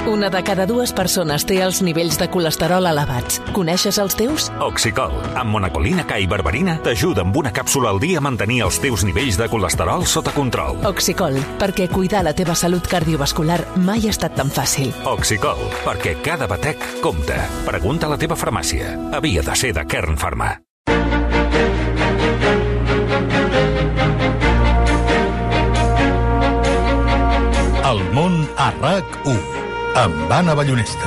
Una de cada dues persones té els nivells de colesterol elevats. Coneixes els teus? Oxicol, amb monacolina K i berberina, t'ajuda amb una càpsula al dia a mantenir els teus nivells de colesterol sota control. Oxicol, perquè cuidar la teva salut cardiovascular mai ha estat tan fàcil. Oxicol, perquè cada batec compta. Pregunta a la teva farmàcia. Havia de ser de Kern Pharma. El món a RAC1 amb Anna Ballonesta.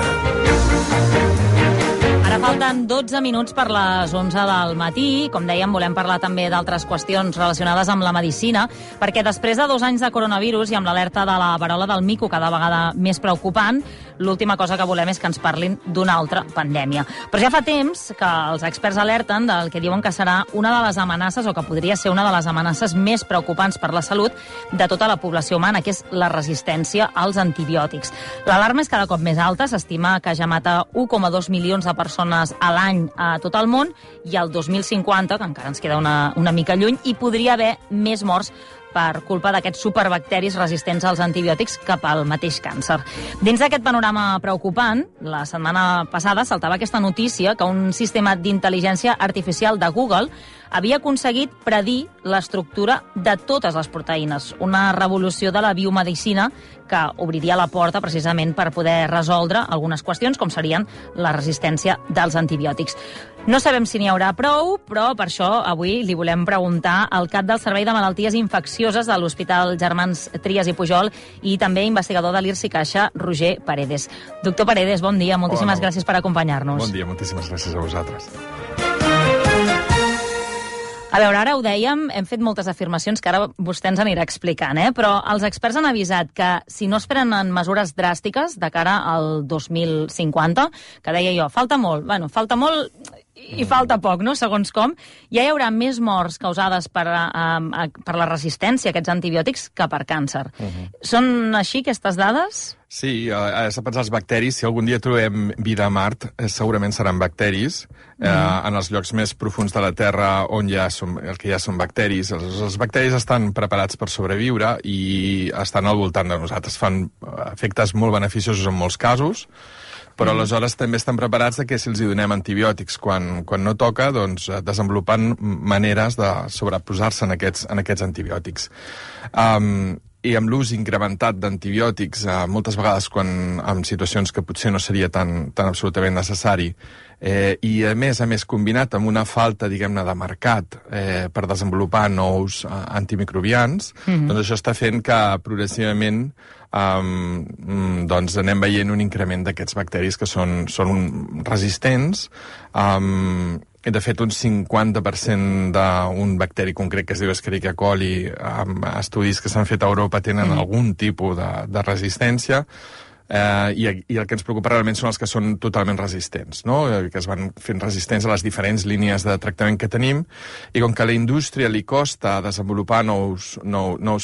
Ara falten 12 minuts per les 11 del matí. Com dèiem, volem parlar també d'altres qüestions relacionades amb la medicina, perquè després de 2 anys de coronavirus i amb l'alerta de la verola del mico cada vegada més preocupant, l'última cosa que volem és que ens parlin d'una altra pandèmia. Però ja fa temps que els experts alerten del que diuen que serà una de les amenaces, o que podria ser una de les amenaces més preocupants per la salut de tota la població humana, que és la resistència als antibiòtics. L'alarma és cada cop més alta, s'estima que ja mata 1,2 milions de persones a l'any a tot el món, i al 2050, que encara ens queda una mica lluny, hi podria haver més morts per culpa d'aquests superbacteris resistents als antibiòtics cap al mateix càncer. Dins d'aquest panorama preocupant, la setmana passada saltava aquesta notícia que un sistema d'intel·ligència artificial de Google havia aconseguit predir l'estructura de totes les proteïnes, una revolució de la biomedicina que obriria la porta precisament per poder resoldre algunes qüestions, com serien la resistència dels antibiòtics. No sabem si n'hi haurà prou, però per això avui li volem preguntar al cap del Servei de Malalties Infeccioses de l'Hospital Germans Trias i Pujol i també investigador de l'IRSI Caixa, Roger Paredes. Doctor Paredes, bon dia, moltíssimes gràcies per acompanyar-nos. Bon dia, moltíssimes gràcies a vosaltres. A veure, ara ho dèiem, hem fet moltes afirmacions que ara vostè ens anirà explicant, però els experts han avisat que si no es prenen mesures dràstiques de cara al 2050, que deia jo, falta molt i falta poc, no?, segons com, ja hi haurà més morts causades per la resistència a aquests antibiòtics que per càncer. Són així aquestes dades? Sí, s'ha pensat els bacteris. Si algun dia trobem vida a Mart, segurament seran bacteris. En els llocs més profuns de la Terra on el que ja són bacteris. Els bacteris estan preparats per sobreviure i estan al voltant de nosaltres. Fan efectes molt beneficiosos en molts casos, però aleshores també estan preparats que si els hi donem antibiòtics quan no toca, doncs desenvolupen maneres de sobreposar-se en aquests antibiòtics. I amb l'ús incrementat d'antibiòtics, moltes vegades en situacions que potser no seria tan absolutament necessari, i a més combinat amb una falta, diguem-ne, de mercat per desenvolupar nous antimicrobians, doncs això està fent que progressivament doncs anem veient un increment d'aquests bacteris que són resistents. De fet, un 50% d'un bacteri concret que es diu Escherichia coli, amb estudis que s'han fet a Europa, tenen algun tipus de resistència, i el que ens preocupa realment són els que són totalment resistents, no?, que es van fent resistents a les diferents línies de tractament que tenim, i com que a la indústria li costa desenvolupar nous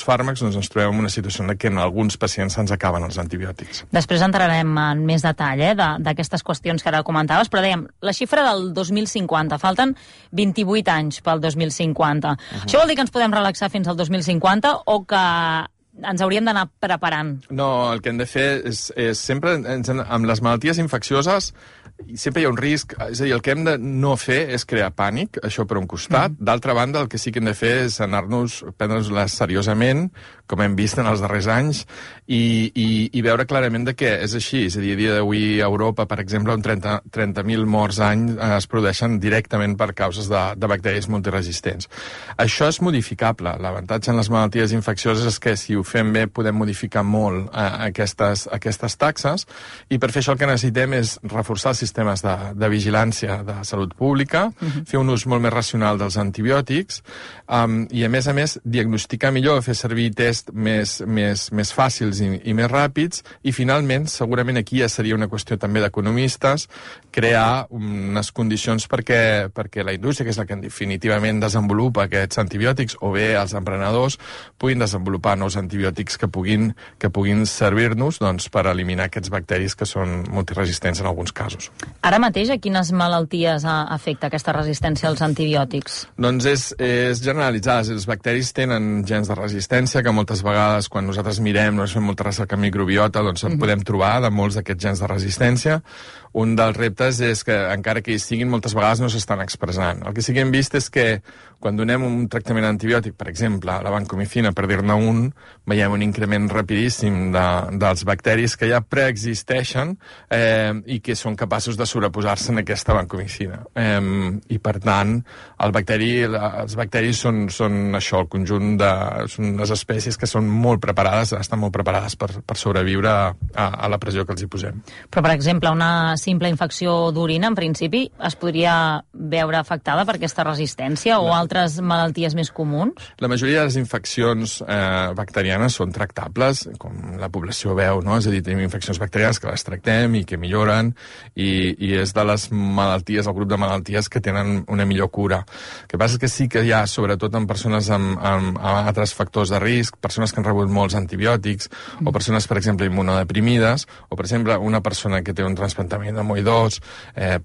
fàrmacs, doncs ens trobem en una situació en què en alguns pacients se'ns acaben els antibiòtics. Després entrarem en més detall d'aquestes qüestions que ara comentaves, però dèiem, la xifra del 2050, falten 28 anys pel 2050. Això vol dir que ens podem relaxar fins al 2050 o que ens hauríem d'anar preparant? No, el que hem de fer és sempre, amb les malalties infeccioses, sempre hi ha un risc, és a dir, el que hem de no fer és crear pànic, això per un costat. D'altra banda, el que sí que hem de fer és prendre-nos-les seriosament, com hem vist en els darrers anys, i veure clarament de què és així. És a dir, a dia d'avui a Europa, per exemple, 30.000 morts any es produeixen directament per causes de bacteris multiresistents. Això és modificable. L'avantatge en les malalties infeccioses és que si ho fem bé podem modificar molt aquestes taxes, i per fer això el que necessitem és reforçar els sistemes de vigilància de salut pública, fer un ús molt més racional dels antibiòtics, i a més diagnosticar millor, fer servir tests més fàcils i més ràpids, i finalment, segurament aquí ja seria una qüestió també d'economistes, crear unes condicions perquè la indústria, que és la que definitivament desenvolupa aquests antibiòtics, o bé els emprenedors puguin desenvolupar nous antibiòtics que puguin servir-nos per eliminar aquests bacteris que són multiresistents en alguns casos. Ara mateix, a quines malalties afecta aquesta resistència als antibiòtics? Doncs és generalitzada. Els bacteris tenen gens de resistència, que moltes vegades, quan nosaltres mirem, fem molta recerca en microbiota, doncs en podem trobar de molts d'aquests gens de resistència. Un dels reptes és que, encara que hi siguin, moltes vegades no s'estan expressant. El que sí que hem vist és que quan donem un tractament antibiòtic, per exemple, la vancomicina, per dir-ne un, veiem un increment rapidíssim dels bacteris que ja preexisteixen i que són capaços de sobreposar-se en aquesta vancomicina. I, per tant, els bacteris són això, el conjunt són unes espècies que són molt preparades, estan molt preparades per sobreviure a la pressió que els hi posem. Però, per exemple, una simple infecció d'orina, en principi, es podria veure afectada per aquesta resistència o altres malalties més comuns? La majoria de les infeccions bacterianes són tractables, com la població veu, no? És a dir, tenim infeccions bacterianes que les tractem i que milloren, i és de les malalties, el grup de malalties que tenen una millor cura. El que passa és que sí que hi ha, sobretot en persones amb altres factors de risc, persones que han rebut molts antibiòtics, o persones, per exemple, immunodeprimides, o, per exemple, una persona que té un trasplantament d'amioïdós,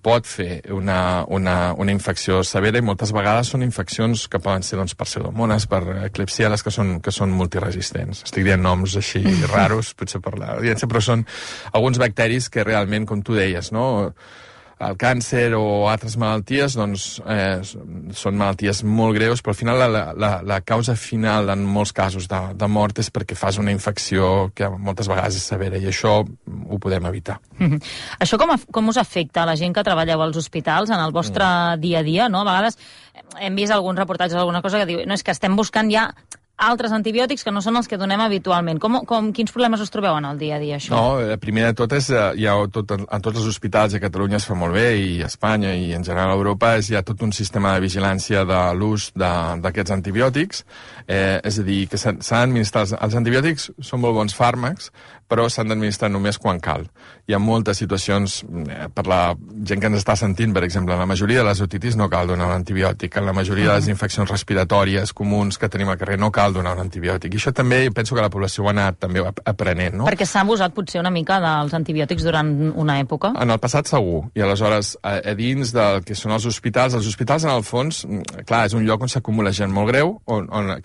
pot fer una infecció severa, i moltes vegades són infeccions que poden ser per pseudomones, per Klebsiella, que són multiresistents. Estic dient noms així raros, potser per l'audiència, però són alguns bacteris que realment, com tu deies, no? El càncer o altres malalties, són malalties molt greus, però al final la causa final en molts casos de mort és perquè fas una infecció que moltes vegades és severa, i això ho podem evitar. Això com us afecta a la gent que treballeu als hospitals en el vostre dia a dia, no? A vegades hem vist alguns reportatges, alguna cosa que diu, no, és que estem buscant ja altres antibiòtics que no són els que donem habitualment. Quins problemes us trobeu en el dia a dia, això? No, primer de tot és, en tots els hospitals a Catalunya es fa molt bé, i a Espanya i en general a Europa hi ha tot un sistema de vigilància de l'ús d'aquests antibiòtics, és a dir, que s'han d'administrar. Els antibiòtics són molt bons fàrmacs, però s'han d'administrar només quan cal. Hi ha moltes situacions, per la gent que ens està sentint, per exemple, en la majoria de les otitis no cal donar un antibiòtic, en la majoria de les infeccions respiratòries comuns que tenim al carrer no cal donar un antibiòtic. I això també, penso que la població ho ha anat també aprenent, no? Perquè s'ha abusat potser una mica dels antibiòtics durant una època? En el passat segur, i aleshores a dins del que són els hospitals en el fons, clar, és un lloc on s'acumula gent molt greu,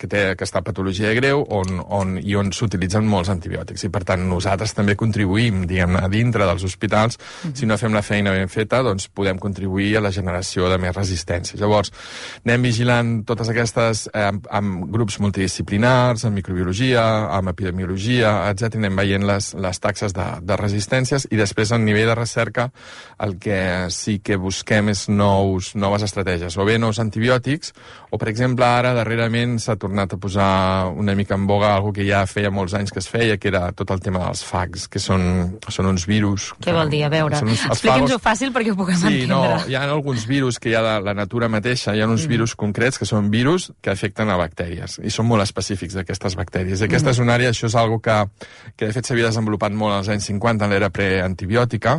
que està patologia greu, i on s'utilitzen molts antibiòtics, i per tant nosaltres també contribuïm, diguem-ne, a dintre dels hospitals. Si no fem la feina ben feta, doncs podem contribuir a la generació de més resistència. Llavors, anem vigilant totes aquestes amb grups multidisciplinars, amb microbiologia, amb epidemiologia, etc. Anem veient les taxes de resistències, i després, a nivell de recerca, el que sí que busquem és noves estratègies, o bé nous antibiòtics, o, per exemple, ara, darrerament, s'ha tornat a posar una mica en boga algo que ja feia molts anys que es feia, que era tot el tema dels fags, que són uns virus... Què vol dir? A veure, expliqui'ns-ho fàcil perquè ho puguem entendre. Sí, no, hi ha alguns virus que hi ha de la natura mateixa, hi ha uns virus concrets que són virus que afecten a bactèries, i són molt específics d'aquestes bactèries. I aquesta és una àrea, això és algo que de fet s'havia desenvolupat molt als anys 50, en l'era preantibiòtica,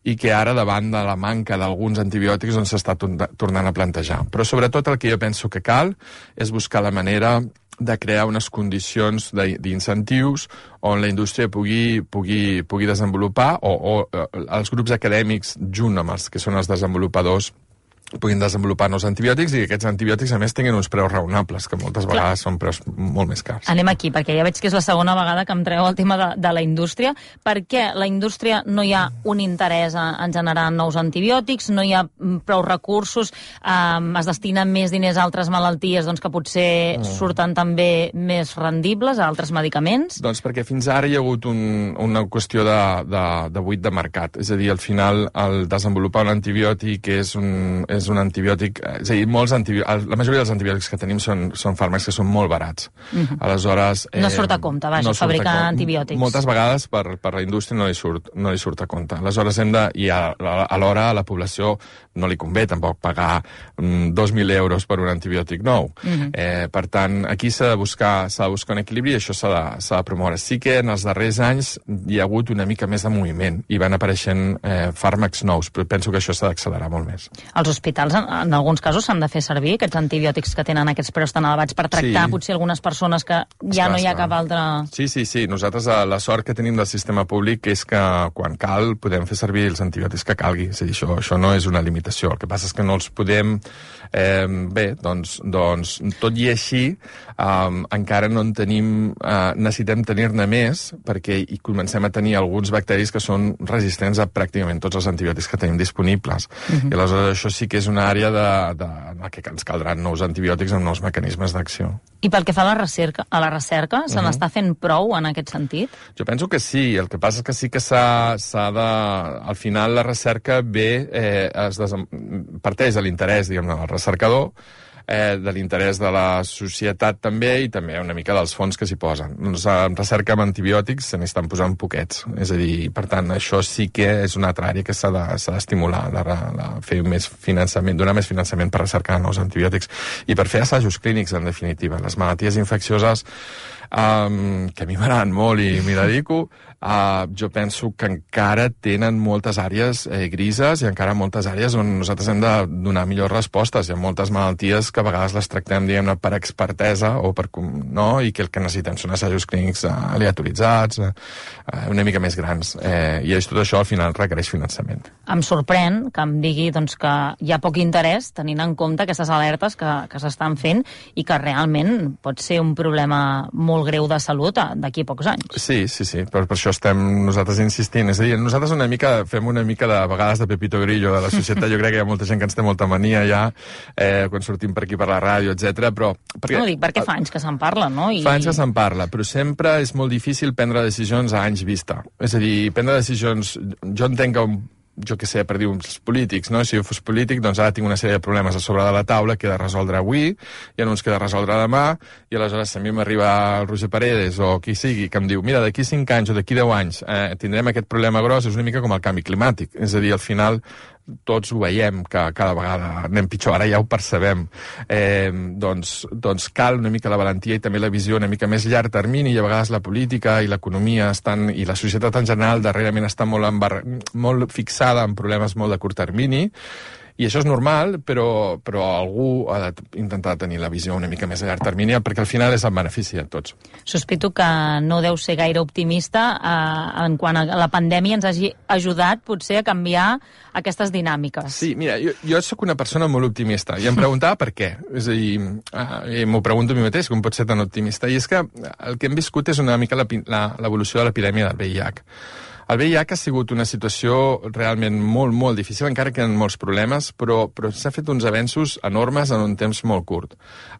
i que ara, davant de la manca d'alguns antibiòtics, doncs s'està tornant a plantejar. Però sobretot el que jo penso que cal és buscar la manera de crear unes condicions d'incentius on la indústria pugui desenvolupar, o els grups acadèmics, junt amb els que són els desenvolupadors, puguin desenvolupar nous antibiòtics, i que aquests antibiòtics, a més, tinguin uns preus raonables, que moltes vegades són preus molt més cars. Anem aquí, perquè ja veig que és la segona vegada que em treu el tema de la indústria. Per què la indústria no hi ha un interès en generar nous antibiòtics, no hi ha prou recursos, es destinen més diners a altres malalties doncs, que potser surten també més rendibles, a altres medicaments? Doncs perquè fins ara hi ha hagut una qüestió de buit de mercat. És a dir, al final, el desenvolupar un antibiòtic és un antibiòtic... És a dir, la majoria dels antibiòtics que tenim són fàrmacs que són molt barats. Aleshores... No surt a compte, fabricar antibiòtics. Moltes vegades per la indústria no li surt a compte. Aleshores i alhora a la població no li convé tampoc pagar 2.000 euros per un antibiòtic nou. Per tant, aquí s'ha de buscar un equilibri, i això s'ha de promoure. Sí que en els darrers anys hi ha hagut una mica més de moviment i van apareixent fàrmacs nous, però penso que això s'ha d'accelerar molt més. Els hospitals hospitals, en alguns casos, s'han de fer servir aquests antibiòtics que tenen aquests preus tan elevats per tractar potser algunes persones que ja no hi ha cap altra... Sí. Nosaltres la sort que tenim del sistema públic és que quan cal podem fer servir els antibiòtics que calgui. És a dir, això no és una limitació. El que passa és que no els podem... tot i així, encara no en tenim... necessitem tenir-ne més perquè hi comencem a tenir alguns bacteris que són resistents a pràcticament tots els antibiòtics que tenim disponibles. I aleshores això sí que és una àrea en què ens caldran nous antibiòtics amb nous mecanismes d'acció. I pel que fa a la recerca, se n'està fent prou en aquest sentit? Jo penso que sí. El que passa és que sí que s'ha de... Al final la recerca parteix de l'interès, diguem-ne, del recercador, de l'interès de la societat també i també una mica dels fons que s'hi posen. Doncs en recerca amb antibiòtics se n'estan posant poquets. És a dir, per tant, això sí que és una altra àrea que s'ha d'estimular, fer més finançament, donar més finançament per recercar nous antibiòtics i per fer assajos clínics, en definitiva. Les malalties infeccioses que a mi m'agraden molt i m'hi dedico, jo penso que encara tenen moltes àrees grises i encara moltes àrees on nosaltres hem de donar millors respostes. Hi ha moltes malalties que a vegades les tractem, diguem-ne, per expertesa o i que el que necessitem són assajos clínics aleatoritzats, una mica més grans. I tot això al final requereix finançament. Em sorprèn que em digui que hi ha poc interès tenint en compte aquestes alertes que s'estan fent i que realment pot ser un problema molt greu de salut d'aquí a pocs anys. Sí, per això estem nosaltres insistint. És a dir, nosaltres fem una mica de vegades de Pepito Grillo de la societat. Jo crec que hi ha molta gent que ens té molta mania ja quan sortim per aquí per la ràdio, etc. Però... No, dic perquè fa anys que se'n parla, no? Fa anys que se'n parla, però sempre és molt difícil prendre decisions a anys vista. És a dir, prendre decisions... Jo entenc que per dir uns polítics, no? Si jo fos polític, doncs ara tinc una sèrie de problemes a sobre de la taula que he de resoldre avui, hi ha uns que he de resoldre demà, i aleshores si a mi m'arriba el Roger Paredes o qui sigui que em diu, mira, d'aquí 5 anys o d'aquí 10 anys tindrem aquest problema gros, és una mica com el canvi climàtic. És a dir, al final tots ho veiem, que cada vegada anem pitjor, ara ja ho percebem. Doncs cal una mica la valentia i també la visió una mica més llarg termini, i a vegades la política i l'economia i la societat en general darrerament està molt fixada en problemes molt de curt termini, i això és normal, però algú ha d'intentar tenir la visió una mica més a llarg termini, perquè al final és el benefici de tots. Sospito que no deu ser gaire optimista en quant a la pandèmia ens hagi ajudat potser a canviar aquestes dinàmiques. Sí, mira, jo sóc una persona molt optimista i em preguntava per què. És a dir, m'ho pregunto a mi mateix, com pot ser tan optimista. I és que el que hem viscut és una mica l'evolució de l'epidèmia del VIH. El VIH ha sigut una situació realment molt, molt difícil, encara que hi ha molts problemes, però s'ha fet uns avenços enormes en un temps molt curt.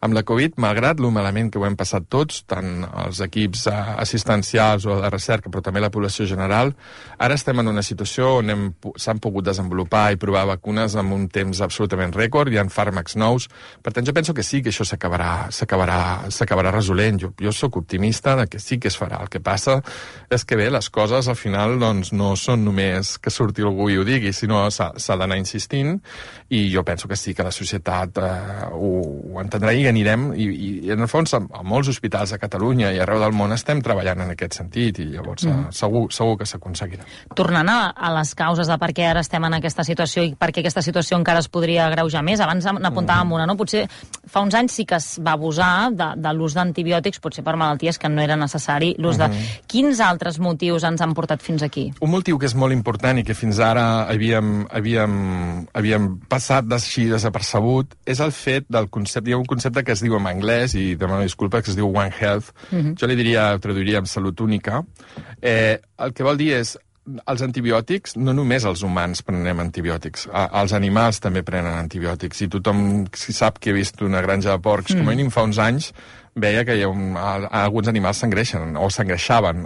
Amb la Covid, malgrat lo malament que ho hem passat tots, tant els equips assistencials o de recerca, però també la població general, ara estem en una situació on s'han pogut desenvolupar i provar vacunes en un temps absolutament rècord, hi ha fàrmacs nous. Per tant, jo penso que sí que això s'acabarà resolent. Jo sóc optimista de que sí que es farà. El que passa és que bé, les coses al final doncs no són només que surti algú i ho digui, sinó s'ha d'anar insistint, i jo penso que sí que la societat ho entendrà i anirem, i en el fons a molts hospitals a Catalunya i arreu del món estem treballant en aquest sentit, i llavors segur que s'aconseguirà. Tornant a les causes de per què ara estem en aquesta situació i per què aquesta situació encara es podria agreujar més, abans n'apuntàvem una, no? Potser fa uns anys sí que es va abusar de l'ús d'antibiòtics, potser per malalties que no era necessari l'ús de... Quins altres motius ens han portat fins aquí? Un motiu que és molt important i que fins ara havíem passat així desapercebut és el fet del concepte, hi ha un concepte que es diu en anglès, i demano disculpa, que es diu One Health. Jo traduiria en salut única. El que vol dir és els antibiòtics, no només els humans prenem antibiòtics, els animals també prenen antibiòtics, i tothom sap que ha vist una granja de porcs, com a mínim fa uns anys, veia que alguns animals s'engreixen o s'engreixaven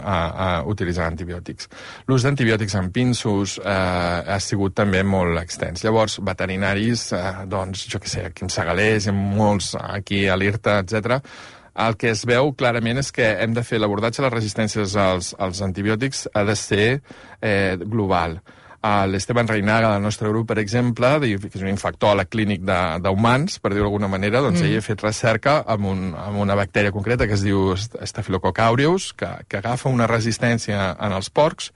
utilitzant antibiòtics. L'ús d'antibiòtics en pinsos ha sigut també molt extens. Llavors, veterinaris, jo què sé, aquí en Segalers, molts aquí a l'IRTA, etc., el que es veu clarament és que hem de fer l'abordatge de les resistències als antibiòtics ha de ser global. L'Esteban Reinaga, del nostre grup, per exemple, que és un infectòleg clínic d'humans, per dir-ho d'alguna manera, doncs ell ha fet recerca amb una bactèria concreta que es diu Staphylococcus aureus, que agafa una resistència en els porcs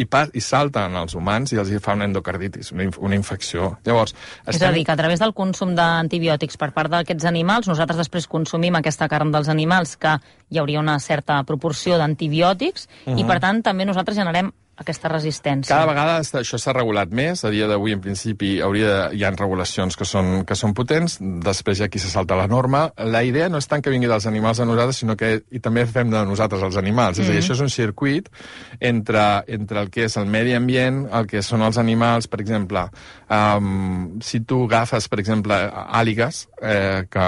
i salten als humans i els fa una endocarditis, una infecció. Llavors, és a dir, que a través del consum d'antibiòtics per part d'aquests animals, nosaltres després consumim aquesta carn dels animals, que hi hauria una certa proporció d'antibiòtics, i per tant també nosaltres generem aquesta resistència. Cada vegada això s'ha regulat més. A dia d'avui, en principi, hi ha regulacions que són potents. Després hi ha qui se salta la norma. La idea no és tant que vingui dels animals a nosaltres, sinó que també fem de nosaltres els animals. És a dir, això és un circuit entre el que és el medi ambient, el que són els animals. Per exemple, si tu agafes, per exemple, àligues, que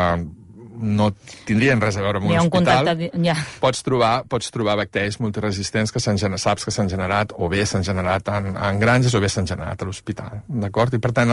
no tindrien res a veure amb un hospital, pots trobar bacteris multiresistents que saps que s'han generat, o bé s'han generat en granges, o bé s'han generat a l'hospital, d'acord? I per tant,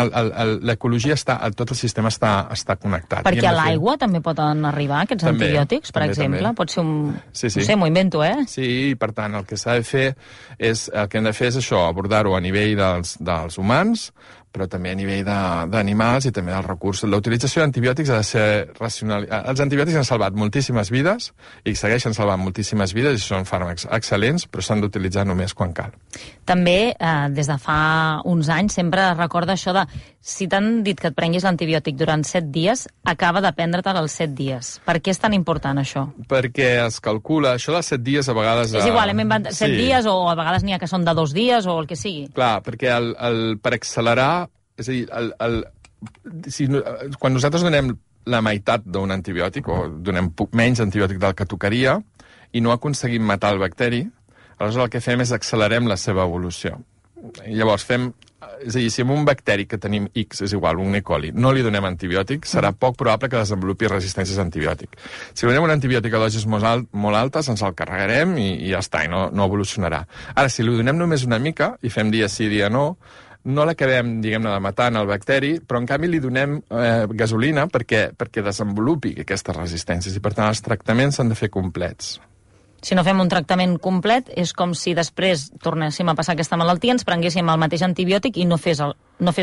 l'ecologia tot el sistema està connectat. Perquè a l'aigua també poden arribar aquests antibiòtics, per exemple? Pot ser un... No sé, m'ho invento, eh? Sí, per tant, el que s'ha de fer és això, abordar-ho a nivell dels humans, però també a nivell d'animals i també dels recursos. La utilització d'antibiòtics ha de ser racional. Els antibiòtics han salvat moltíssimes vides i segueixen salvant moltíssimes vides i són fàrmacs excel·lents, però s'han d'utilitzar només quan cal. També, des de fa uns anys, sempre es recorda això de si t'han dit que et prenguis l'antibiòtic durant 7 dies, acaba de prendre-te'l els 7 dies. Per què és tan important això? Perquè es calcula, això dels 7 dies a vegades... És igual, hem inventat 7 dies o a vegades n'hi ha que són de 2 dies o el que sigui. Clar, perquè per accelerar... És a dir, quan nosaltres donem la meitat d'un antibiòtic, o donem menys antibiòtic del que tocaria, i no aconseguim matar el bacteri, aleshores el que fem és accelerem la seva evolució. I llavors és a dir, si amb un bacteri que tenim X, és igual, un E. coli, no li donem antibiòtic, serà poc probable que desenvolupi resistències a antibiòtic. Si donem un antibiòtic a dosis molt altes, ens el carregarem i ja està, i no evolucionarà. Ara, si li donem només una mica, i fem dia sí, dia no l'acabem, diguem-ne, de matar el bacteri, però en canvi li donem gasolina perquè desenvolupi aquestes resistències, i per tant els tractaments s'han de fer complets. Si no fem un tractament complet, és com si després tornéssim a passar aquesta malaltia, ens prenguéssim el mateix antibiòtic i no fes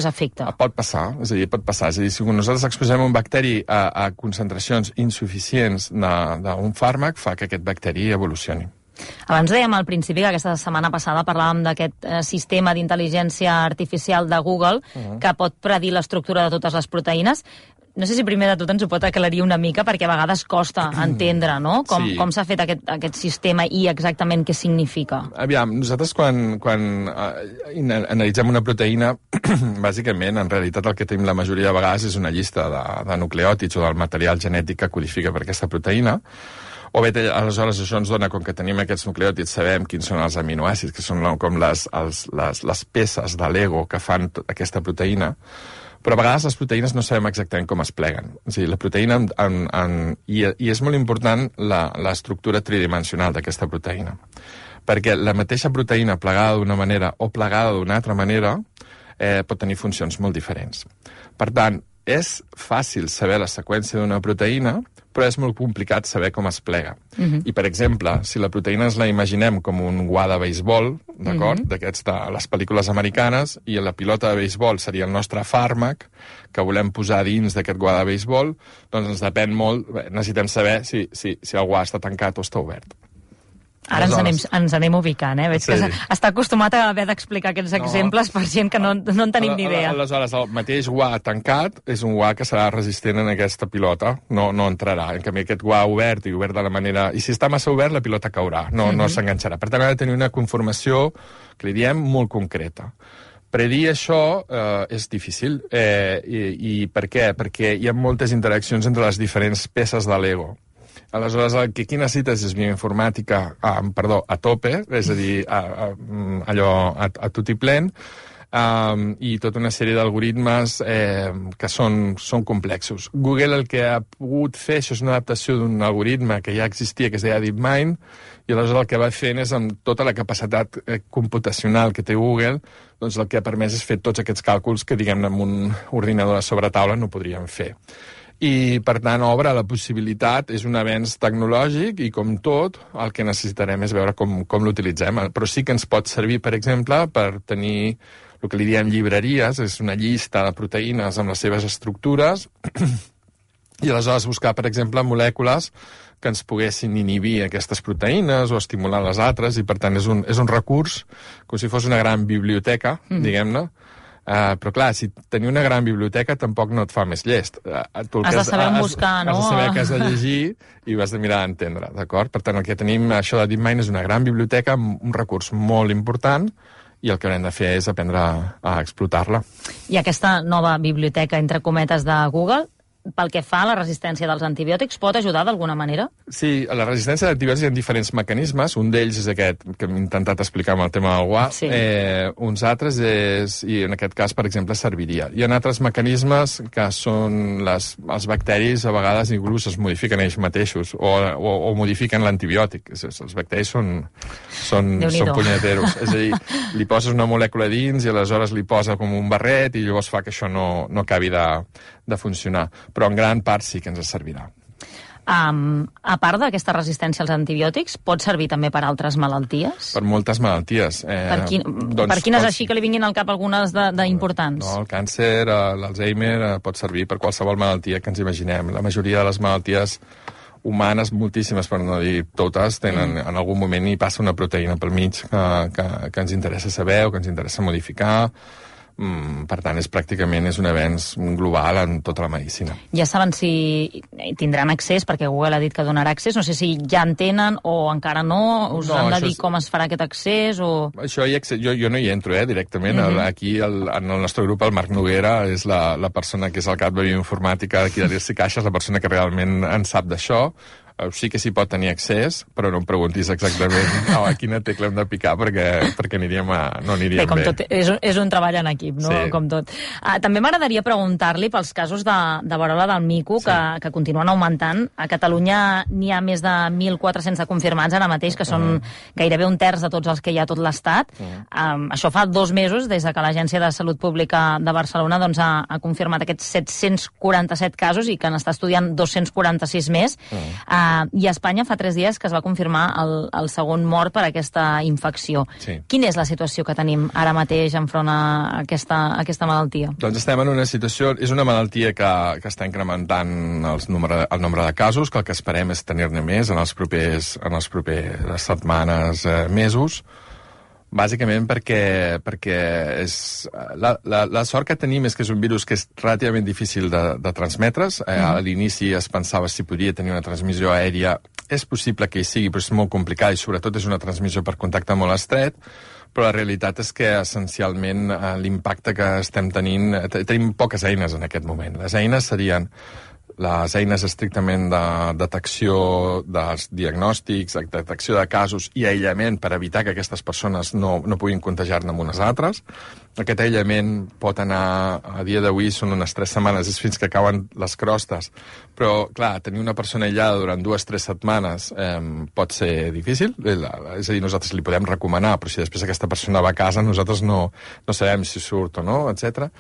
efecte. Pot passar. És a dir, si nosaltres exposem un bacteri a concentracions insuficients d'un fàrmac, fa que aquest bacteri evolucioni. Abans dèiem al principi que aquesta setmana passada parlàvem d'aquest sistema d'intel·ligència artificial de Google que pot predir l'estructura de totes les proteïnes. No sé si primer de tot ens ho pot aclarir una mica, perquè a vegades costa entendre, no? Com s'ha fet aquest sistema i exactament què significa. Aviam, nosaltres quan analitzem una proteïna, bàsicament, en realitat el que tenim la majoria de vegades és una llista de nucleòtids o del material genètic que codifica per aquesta proteïna. O bé, aleshores, això ens dona, com que tenim aquests nucleòtids, sabem quins són els aminoàcids, que són com les peces de Lego que fan aquesta proteïna, però a vegades les proteïnes no sabem exactament com es pleguen. És a dir, la proteïna, i és molt important l'estructura tridimensional d'aquesta proteïna, perquè la mateixa proteïna plegada d'una manera o plegada d'una altra manera pot tenir funcions molt diferents. Per tant, és fàcil saber la seqüència d'una proteïna, però és molt complicat saber com es plega. I, per exemple, si la proteïna ens la imaginem com un guà de béisbol, d'acord? D'aquests de les pel·lícules americanes, i la pilota de béisbol seria el nostre fàrmac que volem posar dins d'aquest guà de béisbol, doncs ens depèn molt, necessitem saber si el guà està tancat o està obert. Ara ens anem ubicant, Veig que està acostumat a haver d'explicar aquests exemples per gent que no en tenim ni idea. Aleshores, el mateix guà tancat és un guà que serà resistent en aquesta pilota, no entrarà. En canvi, aquest guà obert i obert de la manera... I si està massa obert, la pilota caurà, no s'enganxarà. Per tant, ha de tenir una conformació, que li diem, molt concreta. Predir això és difícil. I per què? Perquè hi ha moltes interaccions entre les diferents peces de Lego. Aleshores, el que aquí necessites és bioinformàtica a tope, és a dir, allò a tot i plen, i tota una sèrie d'algoritmes que són complexos. Google el que ha pogut fer, això és una adaptació d'un algoritme que ja existia, que es deia DeepMind, i aleshores el que va fent és, amb tota la capacitat computacional que té Google, doncs el que ha permès és fer tots aquests càlculs que, diguem-ne, amb un ordinador a sobretaula no podríem fer. I, per tant, obre la possibilitat, és un avenç tecnològic i, com tot, el que necessitarem és veure com l'utilitzem. Però sí que ens pot servir, per exemple, per tenir el que li diem llibreries, és una llista de proteïnes amb les seves estructures, i aleshores buscar, per exemple, molècules que ens poguessin inhibir aquestes proteïnes o estimular les altres, i per tant és un recurs com si fos una gran biblioteca, diguem-ne. Però clar, si tenir una gran biblioteca tampoc no et fa més llest. Has de saber on buscar, no? Has de saber què has de llegir i ho has de mirar d'entendre, d'acord? Per tant, el que tenim, això de DeepMind, és una gran biblioteca amb un recurs molt important, i el que haurem de fer és aprendre a explotar-la. I aquesta nova biblioteca, entre cometes, de Google, pel que fa a la resistència dels antibiòtics, pot ajudar d'alguna manera? Sí, a la resistència d'antibiòtics hi ha diferents mecanismes. Un d'ells és aquest que hem intentat explicar amb el tema del guà. Sí. Uns altres i en aquest cas, per exemple, serviria. Hi ha altres mecanismes que són els bacteris, a vegades inclús es modifiquen ells mateixos o modifiquen l'antibiòtic. Els bacteris són punyeteros. És a dir, li poses una molècula dins i aleshores li posa com un barret i llavors fa que això no acabi de funcionar. Però en gran part sí que ens servirà. A part d'aquesta resistència als antibiòtics, pot servir també per altres malalties? Per moltes malalties. Per quines així que li vinguin al cap algunes d'importants? No, el càncer, l'Alzheimer, pot servir per qualsevol malaltia que ens imaginem. La majoria de les malalties humanes, moltíssimes per no dir totes, tenen en algun moment hi passa una proteïna pel mig que ens interessa saber o que ens interessa modificar. Per tant, és un avenç global en tota la medicina. Ja saben si tindran accés, perquè Google ha dit que donarà accés, no sé si ja en tenen o encara no, us han de dir com es farà aquest accés o... Això jo no hi entro, directament. Aquí, en el nostre grup, el Marc Noguera és la persona que és el cap de bioinformàtica d'aquí de l'IRC Caixa, és la persona que realment en sap d'això. Sí que s'hi pot tenir accés, però no em preguntis exactament a quina tecla hem de picar perquè no aniríem bé. Com tot, és un treball en equip, no? Sí. Com tot. També m'agradaria preguntar-li pels casos de verola del mico, que continuen augmentant. A Catalunya n'hi ha més de 1.400 confirmats ara mateix, que són gairebé un terç de tots els que hi ha a tot l'Estat. Això fa 2 mesos, des que l'Agència de Salut Pública de Barcelona ha confirmat aquests 747 casos i que n'està estudiant 246 més. I a Espanya fa 3 dies que es va confirmar el segon mort per aquesta infecció. Sí. Quina és la situació que tenim ara mateix enfront a aquesta malaltia? Doncs estem en una situació... És una malaltia que està incrementant el nombre de casos, que el que esperem és tenir-ne més en les properes setmanes, mesos, bàsicament perquè la sort que tenim és que és un virus que és relativament difícil de transmetre's. A l'inici es pensava si podia tenir una transmissió aèria. És possible que hi sigui, però és molt complicat i sobretot és una transmissió per contacte molt estret. Però la realitat és que essencialment l'impacte que estem tenint... Tenim poques eines en aquest moment. Les eines serien les eines estrictament de detecció dels diagnòstics, detecció de casos i aïllament per evitar que aquestes persones no puguin contagiar-ne amb unes altres. Aquest aïllament pot anar, a dia d'avui són unes 3 setmanes, és fins que cauen les crostes. Però, clar, tenir una persona aïllada durant 2 o 3 setmanes pot ser difícil. És a dir, nosaltres li podem recomanar, però si després aquesta persona va a casa, nosaltres no sabem si surt o no, etc.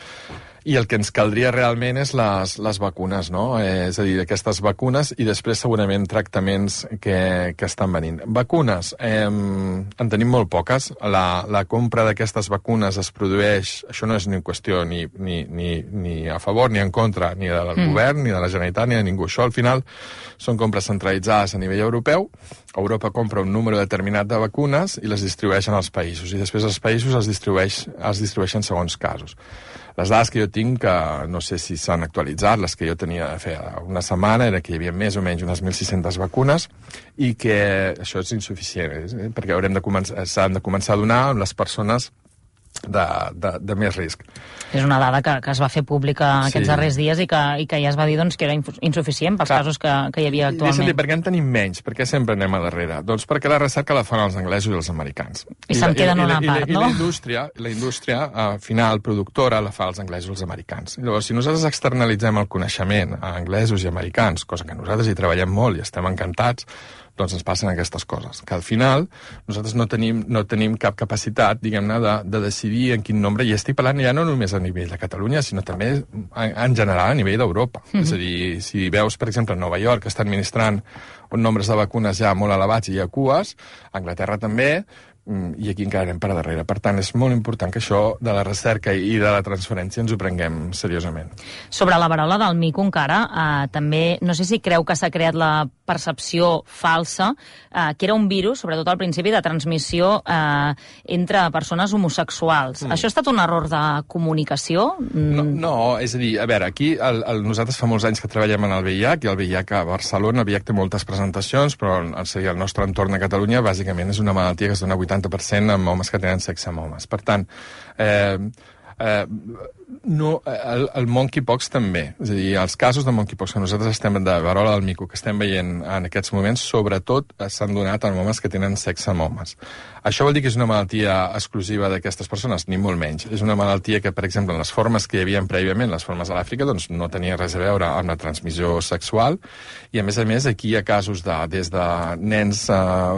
I el que ens caldria realment és les vacunes, no? És a dir, aquestes vacunes i després segurament tractaments que estan venint. Vacunes, en tenim molt poques. La compra d'aquestes vacunes es produeix, això no és ni qüestió ni a favor ni en contra, ni del govern, ni de la Generalitat, ni de ningú. Això al final són compres centralitzades a nivell europeu. Europa compra un número determinat de vacunes i les distribueixen als països. I després els països els distribueixen segons casos. Les dades que jo tinc, que no sé si s'han actualitzat, les que jo tenia de fer una setmana, era que hi havia més o menys unes 1.600 vacunes i que això és insuficient, perquè s'han de començar a donar a les persones de més risc. És una dada que es va fer pública aquests darrers dies i que ja es va dir que era insuficient pels casos que hi havia actualment. Deixa'm dir, per què en tenim menys? Per què sempre anem a darrere? Doncs perquè la recerca la fan els anglesos i els americans. I se'n queden una part, no? I la indústria final, productora, la fa els anglesos i els americans. Llavors, si nosaltres externalitzem el coneixement a anglesos i americans, cosa que nosaltres hi treballem molt i estem encantats, doncs ens passen aquestes coses, que al final nosaltres no tenim cap capacitat, diguem-ne, de decidir en quin nombre, i estic parlant ja no només a nivell de Catalunya, sinó també en general a nivell d'Europa. És a dir, si veus, per exemple, Nova York, que està administrant uns nombres de vacunes ja molt elevats i hi ha cues, Anglaterra també, i aquí encara anem per darrere. Per tant, és molt important que això de la recerca i de la transferència ens ho prenguem seriosament. Sobre la verola del mico encara, també, no sé si creu que s'ha creat la percepció falsa, que era un virus, sobretot al principi, de transmissió entre persones homosexuals. Això ha estat un error de comunicació? No, és a dir, a veure, aquí nosaltres fa molts anys que treballem en el VIH, i el VIH a Barcelona, el VIH té moltes presentacions, però el nostre entorn a Catalunya bàsicament és una malaltia que es dona 80% amb homes que tenen sexe amb homes. Per tant, el monkeypox també. És a dir, els casos de monkeypox que nosaltres estem de verola del mico que estem veient en aquests moments, sobretot s'han donat en homes que tenen sexe amb homes. Això vol dir que és una malaltia exclusiva d'aquestes persones? Ni molt menys. És una malaltia que, per exemple, en les formes que hi havia prèviament, les formes a l'Àfrica, doncs no tenia res a veure amb la transmissió sexual, i a més, aquí hi ha casos des de nens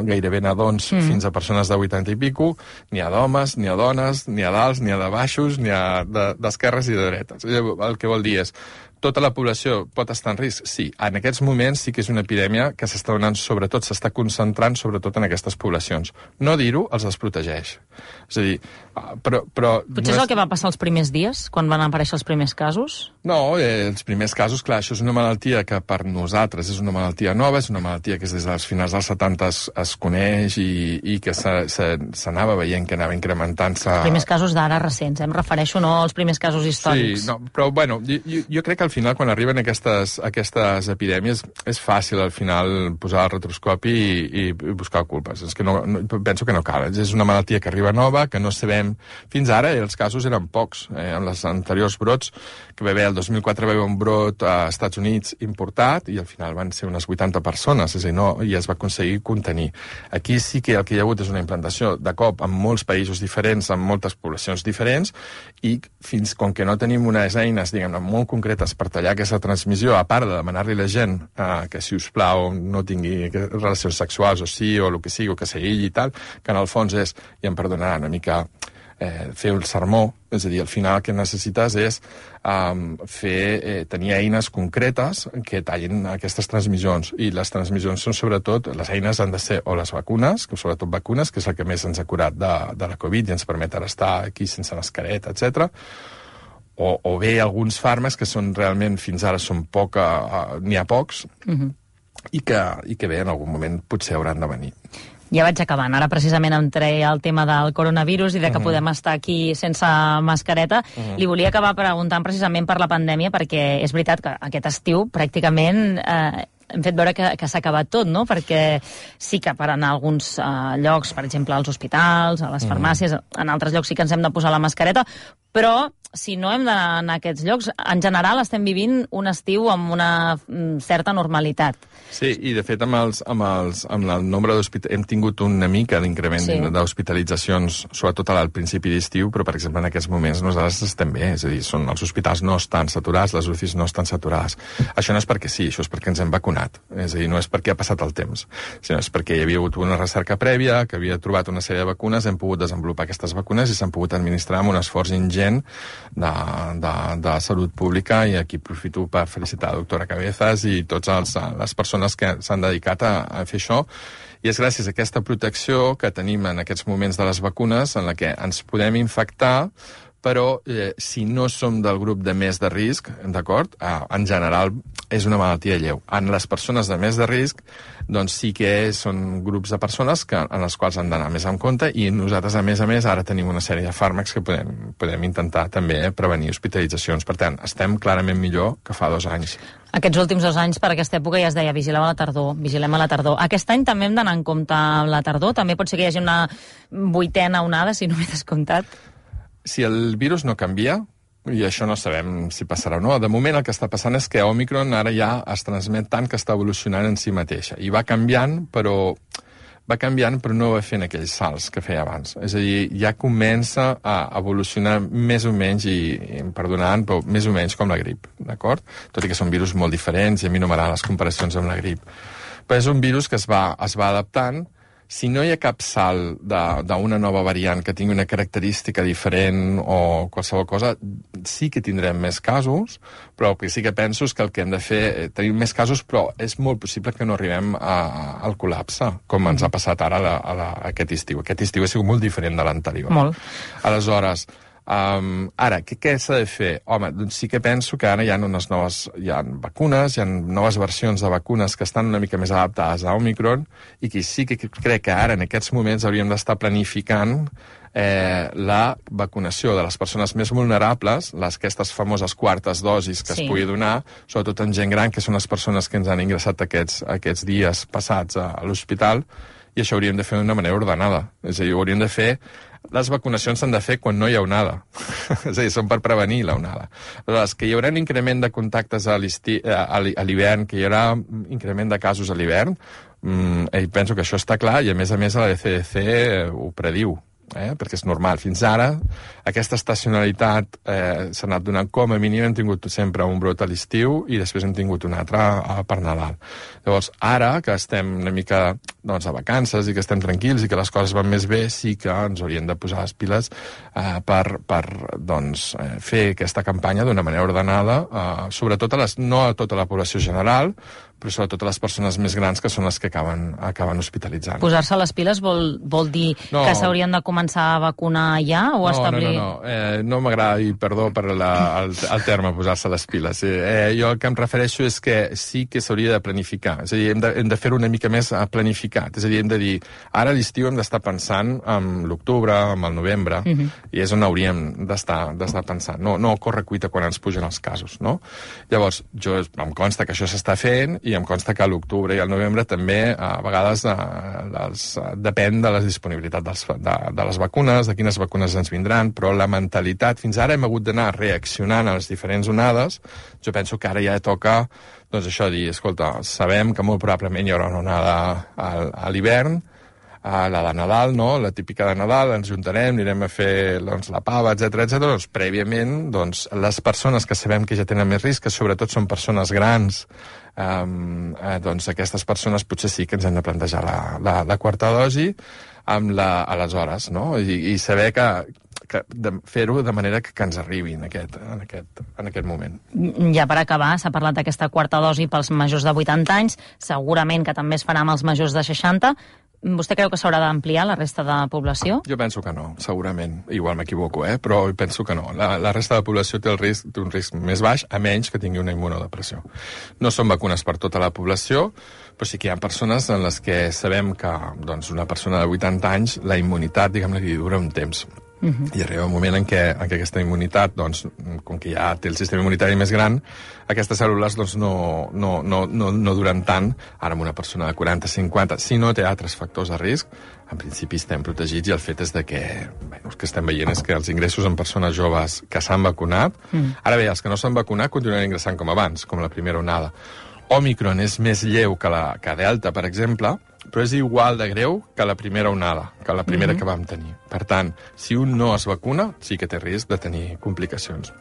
gairebé nadons fins a persones de 80 i pico, n'hi ha d'homes, n'hi ha dones, n'hi ha d'alts, n'hi ha de baixos, n'hi ha d'esquerres i de dretes. El que vol dir és, tota la població pot estar en risc? Sí. En aquests moments sí que és una epidèmia que s'està donant, sobretot, s'està concentrant sobretot en aquestes poblacions. No dir-ho els desprotegeix. És a dir, però potser és el que va passar els primers dies, quan van aparèixer els primers casos? No, els primers casos, clar, això és una malaltia que per nosaltres és una malaltia nova, és una malaltia que des dels finals dels 70 es coneix i que s'anava veient que anava incrementant-se. Els primers casos d'ara recents, em refereixo no als primers casos històrics. Sí, no, però bueno, jo crec que al final quan arriben aquestes epidèmies és fàcil al final posar el retroscopi i buscar culpes. És que penso que no cal. És una malaltia que arriba nova, que no sabem. Fins ara els casos eren pocs. En els anteriors brots, que va haver el 2004 va haver un brot a Estats Units importat i al final van ser unes 80 persones, és a dir, i es va aconseguir contenir. Aquí sí que el que hi ha hagut és una implantació de cop en molts països diferents, en moltes poblacions diferents, i fins com que no tenim unes eines, diguem-ne, molt concretes per tallar aquesta transmissió, a part de demanar-li a la gent que, si us plau, no tingui relacions sexuals o sí, o el que sigui, o que s'aïlli i tal, que en el fons és, i em perdonaran una mica, fer el sermó, és a dir, al final el que necessites és tenir eines concretes que tallin aquestes transmissions, i les transmissions són sobretot, les eines han de ser o les vacunes, que sobretot vacunes, que és el que més ens ha curat de la Covid i ens permet ara estar aquí sense mascareta, etc. O bé alguns fàrmacs que són realment, fins ara són n'hi ha pocs, i que bé, en algun moment potser hauran de venir. Ja vaig acabant. Ara precisament entrei al tema del coronavirus i de que podem estar aquí sense mascareta. Li volia acabar preguntant precisament per la pandèmia, perquè és veritat que aquest estiu pràcticament hem fet veure que s'ha acabat tot, no? Perquè sí que per anar a alguns llocs, per exemple, als hospitals, a les farmàcies, en altres llocs sí que ens hem de posar la mascareta, però si no hem d'anar a aquests llocs, en general estem vivint un estiu amb una certa normalitat. Sí, i de fet amb el nombre d'hospitals hem tingut una mica d'increment d'hospitalitzacions, sobretot al principi d'estiu, però per exemple en aquests moments nosaltres estem bé, és a dir, els hospitals no estan saturats, les UCIs no estan saturades. Això no és perquè sí, això és perquè ens hem vacunat, és a dir, no és perquè ha passat el temps, sinó és perquè hi havia hagut una recerca prèvia, que havia trobat una sèrie de vacunes, hem pogut desenvolupar aquestes vacunes i s'han pogut administrar amb un esforç ingent de salut pública, i aquí aprofito per felicitar la doctora Cabezas i totes les persones que s'han dedicat a fer això, i és gràcies a aquesta protecció que tenim en aquests moments de les vacunes en la que ens podem infectar, però si no som del grup de més de risc, d'acord, en general és una malaltia lleu. En les persones de més de risc, doncs sí que són grups de persones en les quals han d'anar més en compte, i nosaltres, a més, ara tenim una sèrie de fàrmacs que podem intentar també prevenir hospitalitzacions. Per tant, estem clarament millor que fa 2 anys. Aquests últims 2 anys, per aquesta època, ja es deia vigilem a la tardor. Aquest any també hem d'anar en compte amb la tardor? També pot ser que hi hagi una 8a onada, si no m'he descomptat? Si el virus no canvia, i això no sabem si passarà o no, de moment el que està passant és que Omicron ara ja es transmet tant que està evolucionant en si mateixa. I va canviant, però no va fent aquells salts que feia abans. És a dir, ja comença a evolucionar més o menys, i em perdonaran, però més o menys com la grip, d'acord? Tot i que són virus molt diferents, i a mi no m'agraden les comparacions amb la grip. Però és un virus que es va adaptant. Si no hi ha cap salt d'una nova variant que tingui una característica diferent o qualsevol cosa, sí que tindrem més casos, però el que sí que penso és que el que hem de fer... Tenim més casos, però és molt possible que no arribem al col·lapse, com ens ha passat ara aquest estiu. Aquest estiu ha sigut molt diferent de l'anterior. Molt. Aleshores, ara, què s'ha de fer? Home, doncs sí que penso que ara hi ha vacunes, hi ha noves versions de vacunes que estan una mica més adaptades a Omicron i que sí que crec que ara, en aquests moments, hauríem d'estar planificant la vacunació de les persones més vulnerables, aquestes famoses quartes dosis que es pugui donar, sobretot en gent gran, que són les persones que ens han ingressat aquests dies passats a l'hospital, i això hauríem de fer d'una manera ordenada. És a dir, hauríem de fer... Les vacunacions s'han de fer quan no hi ha onada. És a dir, són per prevenir la onada. Aleshores, que hi haurà un increment de contactes a l'hivern, que hi haurà increment de casos a l'hivern, penso que això està clar, i a més la CDC ho prediu. Perquè és normal. Fins ara, aquesta estacionalitat s'ha anat donant com a mínim. Hem tingut sempre un brot a l'estiu i després hem tingut un altre per Nadal. Llavors, ara que estem una mica a vacances i que estem tranquils i que les coses van més bé, sí que ens hauríem de posar les piles per fer aquesta campanya d'una manera ordenada, sobretot no a tota la població general, però sobretot a les persones més grans, que són les que acaben hospitalitzant. Posar-se les piles vol dir que s'haurien de començar a vacunar ja o establir... No m'agrada, i perdó per el terme posar-se les piles. Jo el que em refereixo és que sí que s'hauria de planificar. És a dir, hem de fer-ho una mica més planificat. És a dir, hem de dir, ara a l'estiu hem d'estar pensant en l'octubre, en el novembre, i és on hauríem d'estar pensant. No corre cuita quan ens pugen els casos, no? Llavors, em consta que això s'està fent, i em consta que a l'octubre i al novembre també a vegades depèn de la disponibilitat de les vacunes, de quines vacunes ens vindran, però la mentalitat, fins ara hem hagut d'anar reaccionant a les diferents onades. Jo penso que ara ja toca, doncs això, dir, escolta, sabem que molt probablement hi haurà una onada a l'hivern, la de Nadal, no? La típica de Nadal, ens juntarem, anirem a fer la pava, etc. Doncs prèviament, les persones que sabem que ja tenen més risc, que sobretot són persones grans, aquestes persones potser sí que ens hem de plantejar la quarta dosi aleshores, no? I saber que fer-ho de manera que ens arribi en aquest moment. Ja per acabar, s'ha parlat d'aquesta quarta dosi pels majors de 80 anys, segurament que també es farà amb els majors de 60. Vostè creu que s'haurà d'ampliar la resta de població? Jo penso que no, segurament. Igual m'equivoco, però penso que no. La resta de la població té un risc més baix, a menys que tingui una immunodepressió. No són vacunes per tota la població, però sí que hi ha persones en les que sabem que una persona de 80 anys, la immunitat, diguem-ne, li dura un temps. I arriba un moment en què aquesta immunitat, com que ja té el sistema immunitari més gran, aquestes cèl·lules no duren tant. Ara amb una persona de 40-50, si no té altres factors de risc, en principi estem protegits, i el fet és que el que estem veient és que els ingressos en persones joves que s'han vacunat, ara bé, els que no s'han vacunat continuen ingressant com abans, com la primera onada. Omicron és més lleu que Delta, per exemple, però és igual de greu que la primera onada, que la primera que vam tenir. Per tant, si un no es vacuna, sí que té risc de tenir complicacions.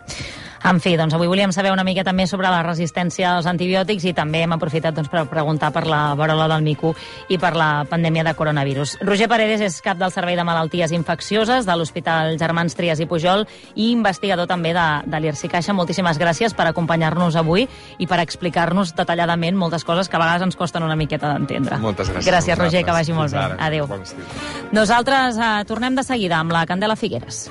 En fi, avui volíem saber una miqueta més sobre la resistència als antibiòtics i també hem aprofitat per preguntar per la verola del mico i per la pandèmia de coronavirus. Roger Paredes és cap del Servei de Malalties Infeccioses de l'Hospital Germans Trias i Pujol i investigador també de l'IRSI Caixa. Moltíssimes gràcies per acompanyar-nos avui i per explicar-nos detalladament moltes coses que a vegades ens costen una miqueta d'entendre. Moltes gràcies. Gràcies, Roger, que vagi molt bé. Adéu. Bon estiu. Nosaltres tornem de seguida amb la Candela Figueres.